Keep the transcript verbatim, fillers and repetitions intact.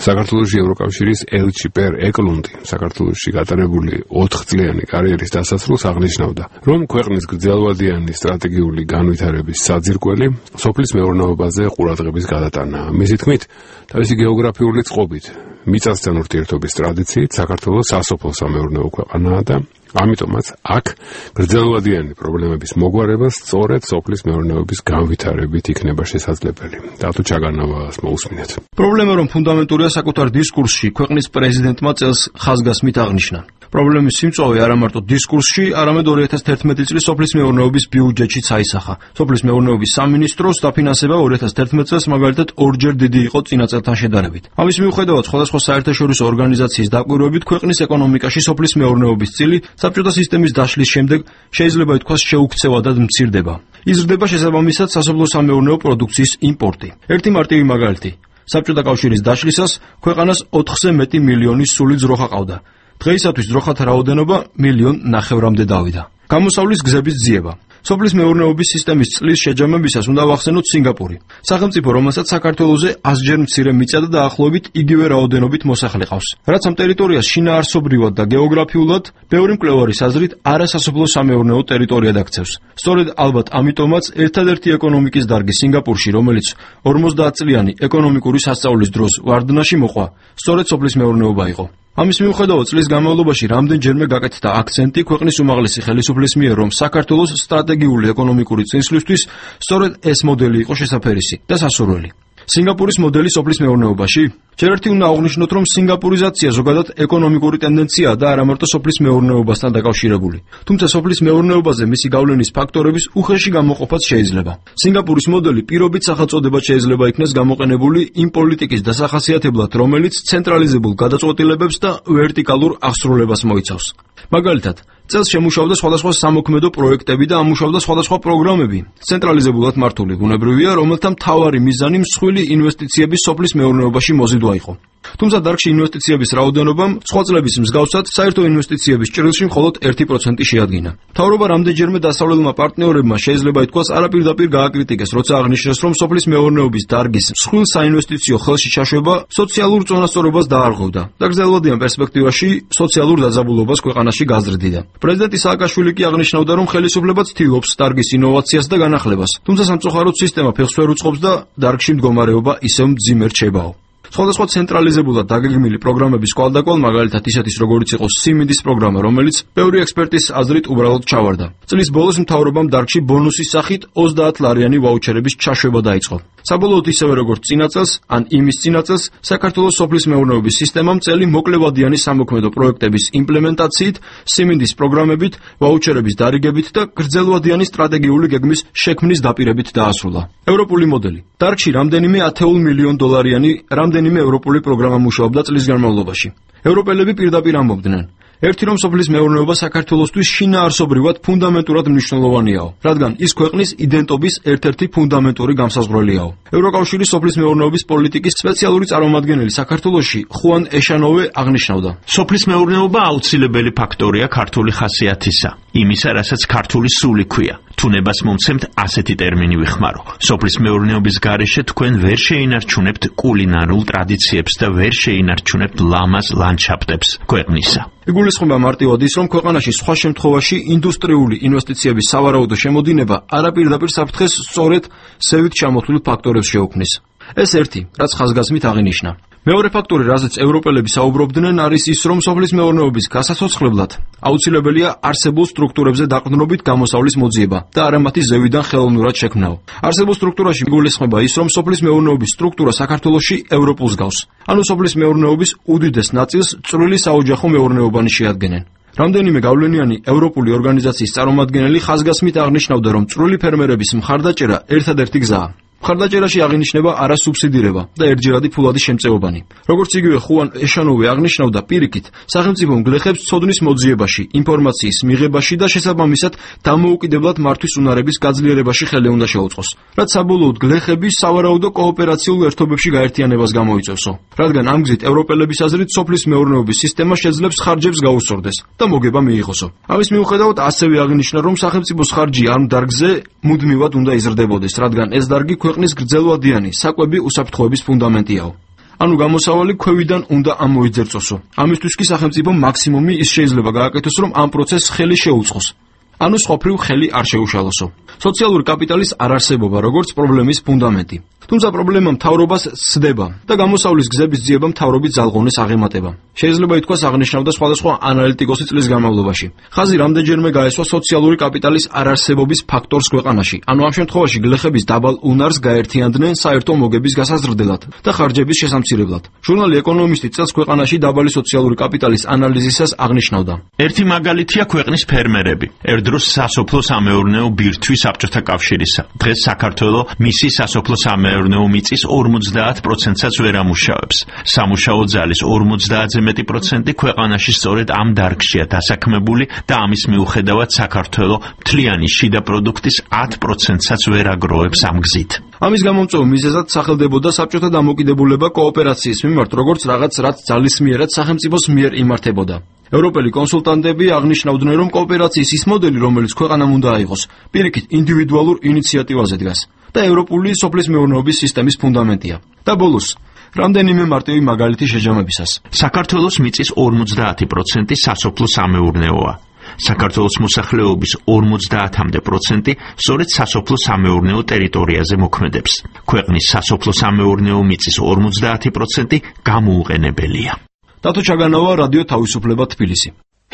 საქართველოში ევროკავშირის ელჩი პერ ეკლუნდი საქართველოში გატარებული ოთხწლიანი კარიერის დასასრულს აღნიშნავდა, რომ ქვეყნის გრძელვადიანი სტრატეგიული განვითარების საძირკველი სოფლის მეურნეობაზე ყურადღების გადატანაა. მისი თქმით, თავისი გეოგრაფიული წყობით, მიწასთან ურთიერთობის ტრადიციით საქართველოს სასოფლო-სამეურნეო ქვეყანაა და ამიტომაც აქ გრძელვადიანი პრობლემების მოგვარება სწორედ სოფლის მეურნეობის განვითარებით იქნება შესაძლებელი. დათო ჩაგანავას მოусმინეთ. პრობლემა რომ ფუნდამენტურია საკუთარ დისკურსში, ქვეყნის პრეზიდენტმა წელს ხაზგასმით აღნიშნა. პრობლემის სიმწვავე არა მარტო დისკურსში, არამედ ორი ათას თერთმეტი წლის სოფლის მეურნეობის ბიუჯეტშიც აისახა. სოფლის მეურნეობის სამინისტროს დაფინანსება ორი ათას თერთმეტ წელს მაგალითად ორჯერ დიდი იყო წინა წელთან შედარებით. ამის მიუხედავად, სხვადასხვა საერთაშორისო ორგანიზაციის დაკვირვებით ქვეყნის ეკონომიკაში სოფლის მეურნეობის წილი საბჭოთა სისტემის დაშლის შემდეგ შეიძლება ითქვას შეუქცევადად მცირდება. იზრდება შესაბამისად სასოფლო-სამეურნეო პროდუქციის იმპორტი. ერთი მარტივი მაგალითი. საბჭოთა კავშირის დაშლისას ქვეყანას ოთხზე მეტი მილიონი სული ძროხა ყავდა. დღეისათვის ძროხათა რაოდენობა მილიონ ნახევრამდე დავიდა. გამოსავლის გზების ძიება. სოფლის მეურნეობის სისტემის წლის შეჯამებისას უნდა ვახსენოთ სინგაპური. სახელმწიფო, რომელსაც საქართველოზე ასჯერ მცირე მიწა და დაახლოებით იგივე რაოდენობით მოსახლე ყავს. რაც ამ ტერიტორიას შინაარსობრივად და გეოგრაფიულად ბევრი მკვლევარის აზრით არასასოფლო-სამეურნეო ტერიტორიად აქცევს. სწორედ ალბათ ამიტომაც ერთადერთი ეკონომიკის დარგი სინგაპურში, რომელიც ორმოცდაათ წლიანი ეკონომიკური სასწავლის დროს ვარდნაში მოყვა, სწორედ სოფლის მეურნეობა იყო. ამის მიუხედავად წლის განმავლობაში რამდენჯერმე გაკეთდა აქცენტი ქვეყნის უმაღლესი ხელისუფლის მიერ, რომ საქართველოს სტრატეგიული ეკონომიკური წინსვლისთვის სწორედ ეს მოდელი იყო შესაფერისი და სასურველი. სინგაპურის მოდელი სოფლის მეურნეობაში? ჯერ ერთი უნდა აღვნიშნოთ, რომ სინგაპურიზაცია ზოგადად ეკონომიკური ტენდენციაა და არა მარტო სოფლის მეურნეობასთან დაკავშირებული. თუმცა სოფლის მეურნეობაზე მისი გავლენის ფაქტორების უხეში გამოყოფაც შეიძლება. სინგაპურის მოდელი პირობით სახელწოდებად შეიძლება იქნეს გამოყენებული იმ პოლიტიკის დასახასიათებლად, რომელიც ცენტრალიზებულ გადაწყვეტილებებს და ვერტიკალურ აღსრულებას მოიცავს. მაგალითად, წელს შემუშავდა სხვადასხვა სამოქმედო პროექტები და ამუშავდა სხვადასხვა პროგრამები. ცენტრალიზებულად მართული ბუნებრივია, რომელთა მთავარი მიზანი მსხვილი ინვესტიციების სოფლის მეურნეობაში მოზიდვა იყო. თუმცა დარგში ინვესტიციების რაოდენობამ სხვა წლების მსგავსად საერთო ინვესტიციების ჭრილში მხოლოდ ერთი პროცენტი შეადგინა. მთავრობა რამდენჯერმე დასავლელმა პარტნიორებმა შეიძლება ითქვას არაპირდაპირ გააკრიტიკეს, როცა აღნიშნეს, რომ სოფლის მეურნეობის დარგის მსხვილ საინვესტიციო ხელში ჩაშვება სოციალურ წონასწორობას დაარღვევდა და გრძელვადიან პერსპექტივაში სოციალურ დაძაბულობას ქვეყანაში გაზრდიდა. პრეზიდენტი სააკაშვილი კი აღნიშნავდა, რომ ხელისუფლება ცდილობს დარგის ინოვაციას და განახლებას, თუმცა სამწუხაროდ სისტემა ფეხს ვერ უწყობს და დარგში მდგომარეობა ისევ მძიმე რჩებაო. სხვადასხვა ცენტრალიზებულად დაგეგმილი პროგრამების კვალდაკვალ, მაგალითად ისეთის როგორიც იყო სიმინდის პროგრამა, რომელიც ბევრი ექსპერტის აზრით უბრალოდ ჩავარდა. წლის ბოლოს მთავრობამ დარგში ბონუსის სახით ოცდაათ ლარიანი ვაუჩერების ჩაშვება დაიწყო. საბოლოოდ ისევე როგორც წინა წელს, ან იმის წინა წელს, საქართველოს სოფლის მეურნეობის სისტემამ წელი მოკლევადიანი სამოქმედო პროექტების იმპლემენტაციით, სიმინდის პროგრამებით, ვაუჩერების დარიგებით და გრძელვადიანი სტრატეგიული გეგმის შექმნის დაპირებით დაასრულა. ევროპული მოდელი. დარგში რამდენიმე ათეულ მილიონ დოლარიანი რამდენიმე ევროპული პროგრამა მუშაობდა წლის განმავლობაში. ევროპელები პირდაპირ ამბობდნენ, ერთი რომ სოფლის მეურნეობა საქართველოსთვის შინაარსობრივად ფუნდამენტურად მნიშვნელოვანიაო, რადგან ის ქვეყნის იდენტობის ერთ-ერთი ფუნდამენტური გამსაზღვრელიაო. ევროკავშირის სოფლის მეურნეობის პოლიტიკის სპეციალური წარმომადგენელი საქართველოში ხუან ეშანოვე აღნიშნავდა: სოფლის მეურნეობა აუცილებელი ფაქტორია ქართული ხასიათისა, იმისა, რასაც ქართული სული ქვია. თუნებას მომცემთ ასეთი ტერმინი ვიხმარო. სოფლის მეურნეობის გარეშე თქვენ ვერ შეინარჩუნებთ კულინარულ ტრადიციებს და ვერ შეინარჩუნებთ ლამაზ ლანდშაფტებს ქვეყნისა. იგულისხმება მარტივად ის, რომ ქვეყანაში სხვა შემთხვევაში ინდუსტრიული ინვესტიციების სავარაუდო შემოდინება არაპირდაპირ საფრთხეს სწორედ სევით ჩამოთვლილ ფაქტორებს შეუქმნის. ეს ერთი, რაც ხაზგასმით აღინიშნა. მეორე ფაქტორი, რაზეც ევროპელები საუბრობდნენ, არის ის, რომ სოფლის მეურნეობის გასაცოცხლებლად აუცილებელია არსებულ სტრუქტურებზე დაყრდნობით გამოსავლის მოძიება და არა მათი ზევიდან ხელოვნურად შექმნაო. არსებულ სტრუქტურაში იგულისხმება ის, რომ სოფლის მეურნეობის სტრუქტურა საქართველოში ევროპულს გავს. ანუ სოფლის მეურნეობის უდიდეს ნაწილს წვრილი საოჯახო მეურნეობანი შეადგენენ. რამდენიმე გავლენიანი ევროპული ორგანიზაციის წარმომადგენელი ხაზგასმით აღნიშნავდა, რომ წვრილი ფერმერების მხარდაჭერა ერთადერთი გზაა. მხარდაჭერაში აღინიშნება არასუბსიდირება და ერთჯერადი ფულადი შემწეობანი. როგორც იგივე ხუან ეშანოვე აღნიშნავდა, პირიქით, სახელმწიფომ გლეხებს ცოდნის მოძიებაში, ინფორმაციის მიღებაში და შესაბამისად დამოუკიდებლად მართვის უნარების გაძლიერებაში ხელი უნდა შეუწყოს, რაც საბოლოოდ გლეხები სავარაუდო კოოპერაციულ ერთობებში გაერთიანებას გამოიწევსო. რადგან ამ გზით ევროპელების აზრით სოფლის მეურნეობის სისტემა შეძლებს ხარჯებს გაუსწორდეს და მოგება მიიღოსო. ამის მიუხედავად ასევე აღინიშნა, რომ სახელმწიფოს ხარჯი ამ დარგზე მუდმივად უნდა იზრდებოდეს, რადგან ეს დარგი ქვეყნის გრძელვადიანი საკვები უსაფრთხოების ფუნდამენტიაო. ანუ გამოსავალი ქვევიდან უნდა ამოიძერწოსო. ამისთვის კი სახელმწიფო მაქსიმუმი ის შეიძლება გააკეთოს, რომ ამ პროცესს ხელი შეუწყოს. ანუ სხვაფრივ ხელი არ შეუშალოსო. სოციალური კაპიტალის არარსებობა როგორც პრობლემის ფუნდამენტი. თუმცა პრობლემა მთავრობას სცდება და გამოსავლის გზების ძიება მთავრობის ძალღონეს აღემატება. შეიძლება ითქვას აღნიშნავდა სხვადასხვა ანალიტიკოსი წლის განმავლობაში. ხაზი რამდენჯერმე გაესვა სოციალური კაპიტალის არარსებობის ფაქტორს ქვეყანაში, ანუ ამ შემთხვევაში გლეხების დაბალ უნარს გაერთიანდნენ საერთო მოგების გასაზრდელად და ხარჯების შესამცირებლად. ჟურნალი ეკონომისტი წელს ქვეყანაში დაბალი სოციალური კაპიტალის ანალიზისას აღნიშნავდა. ერთი მაგალითია ქვეყნის ფერმერები. ერთდროს სასოფლო-სამეურნეო ბირთვი საბჭოთა კავშირისა. დღეს საქართველო მისი სასოფლო-სამეურნეო მიწის ორმოცდაათ პროცენტსაც ვერ ამუშავებს. სამუშაო ძალის ორმოცდაათზე მეტი პროცენტი ქვეყანაში სწორედ ამ დარგშია დასაქმებული და ამის მიუხედავად საქართველო მთლიანი შიდა პროდუქტის ათ პროცენტსაც ვერ აგროვებს ამ გზით. ამის გამომწვევ მიზეზად სახელდებოდა საბჭოთა დამოკიდებულება კოოპერაციის მიმართ, როგორც რაღაც რაც ძალისმიერად სახელმწიფოს მიერ იმართებოდა. ევროპელი კონსულტანტები აღნიშნავდნენ, რომ კოოპერაციის ის მოდელი, რომელიც ქვეყანამ უნდა აიღოს, პირიქით ინდივიდუალურ ინიციატივაზე დგას და ევროპული სოფლის მეურნეობის სისტემის ფუნდამენტია. და ბოლოს, რამდენიმე მარტივი მაგალითი შეჯამებისას. საქართველოს მიწის ორმოცდაათი პროცენტი სასოფლო-სამეურნეოა. საქართველოს მოსახლეობის ორმოცდაათამდე პროცენტი სწორედ სასოფლო-სამეურნეო ტერიტორიაზე მოქმედებს. ქვეყნის სასოფლო-სამეურნეო მიწის ორმოცდაათი პროცენტი გამოუყენებელია. დათო ჩაგანავა, რადიო თავისუფლება, თბილისი.